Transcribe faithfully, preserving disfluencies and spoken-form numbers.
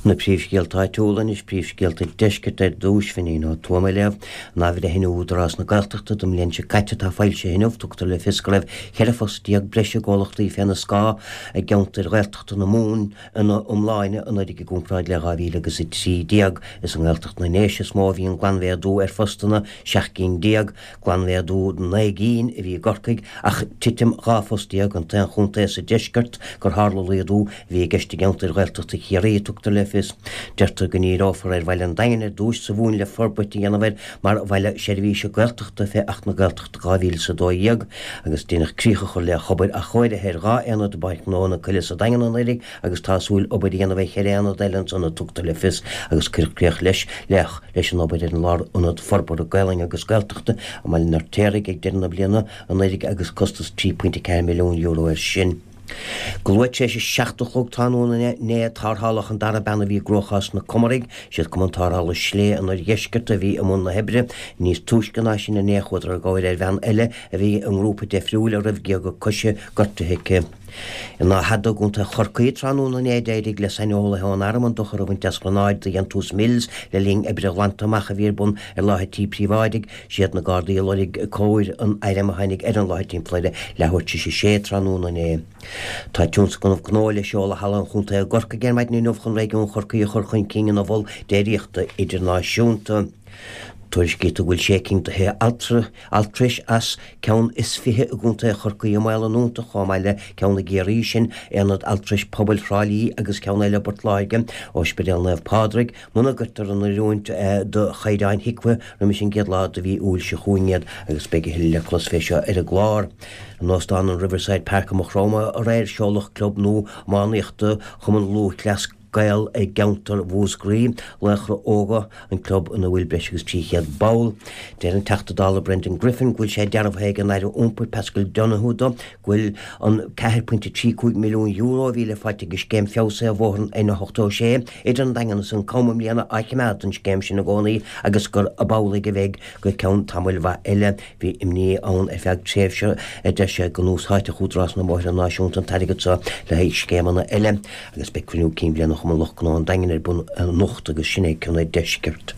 Na príomhscéalta áitiúla anois príomhscéalta deiscirt ar dtús Finín Ó Tuama ag léamh in athbhreithniú Údarás na Gaeltachta don mbliain seo caite atá foilsithe inniu tugtar le fios go raibh ceithre phost déag breise i gcomhlachtaí féna scáth i gceantair Ghaeltachta na Mumhan ina iomláine anuraidh i gcomparáid le dhá mhíle agus a trí déag. Is i nGaeltacht na nDéise is mó a bhí an glanmhéadú ar phostanna, seacht gcinn déag, glanmhéadú naoi gcinn a bhí i gCorcaigh ach titim dhá phost déag, an t-aon chontae sa deisceart gur tharla laghdú a bhí i gceist i gceantair Ghaeltachta Chiarraí, tugtar le fios. Deirtear go ndíreofar ar bhaile an Daingin ar dtús sa Mhumhain le forbairt a dhéanamh air mar bhaile seirbhíse Gaeltachta fé Acht na Gaeltachta dhá mhíle is a dó dhéag agus deineadh críoch a chur le hobair athchóirithe ar dhá aonad i bPáirc Ghnó na Coille sa Daingean anuraidh agus tá súil obair a dhéanamh ar cheithre aonad eile ansan a tugtar le fios agus cuireadh críoch leis leis an obair ar an Lárionad Forbartha Gaelainne agus Gaeltachta i mBaile an Fheirtéaraigh ag deireadh na bliana anuraidh agus costas trí pointe ceathair milliún euro air sin. Go luath tar éis a seacht a chlog tráthnóna inné tarrtháladh an dara bean a bhí i gcruachás sna Comaraigh. Siad Cumann Tarrthála Slé an Oirdheiscirt a bhí i mbun na hoibre. Níos túisce ná sin inné chuadar i gcabhair ar bhean eile a bhí i ngrúpa deifriúil a raibh géaga coise gortaithe aici. In Áth Fhada i gContae Chorcaí tráthnóna inné d'éirigh le saineolaithe ón Arm an dochar a bhaint as gránáid de dhéantús Mills le linn oibre ghlanta amach a bhí ar bun ar láthair tí príobháidigh. Siad na Gardaí a lorg cóir an airm a tháinig ar an láthair timpeall ar a leathuair tar éis a sé tráthnóna inné. Tá tionscnamh gnó le seoladh i Halla an Chontae i gCorcaigh ar maidin inniu chun réigiún Chorcaí a chur chun cinn ina mhol déiríochta idirnáisiúnta. Tuairiscítear go bhfuil sé cinn de thithe altrais as ceann is fiche i gContae Chorcaí i mbaol a ndúnta, chomh maith le ceann i gCiarraí, sin Aonad Altrais Pobail Thrá Lí agus ceann eile i bPort Láirge, Ospidéal Naomh Pádraig, muna gcuirtear in oiriúint do chaighdeáin HIQA roimis an gcéad lá de mhí Iúil seo chugainn iad agus beidh a thuilleadh le clos fé seo ar an gclár. In Óstán an Riverside Park i Maigh Chromtha aréir seoladh club nua iománaíochta Chumann Lúthchleas Gael i gceantar Mhúscraí, Laochra Óga, an club ina bhfuil breis agus trí chéad ball. Deir an Teachta Dála Brendan Griffin go bhfuil sé dearbhaithe ag an Aire Iompair Paschal Donohoe dó go bhfuil an ceathair pointe trí cúig milliún euro a bhí le fáilt ag an scéim feabhsaithe ar bhóthar an N ochtó sé idir an Daingean is an Cam i mbliana á choimeád don scéim sin i gcónaí agus gur amhlaidh a bheidh go ceann tamaill mhaith eile. Bhí imní ann ar feadh tréimhse, a deir sé, go n-úsáidfeadh Údarás na mBóithre Náisiúnta an t-airgead seo le haghaidh scéimeanna eile. Agus beidh cruinniú cinn bliana Chumann Lucht Gnó an Daingin ar bun anocht agus sin é cionn an deiscirt.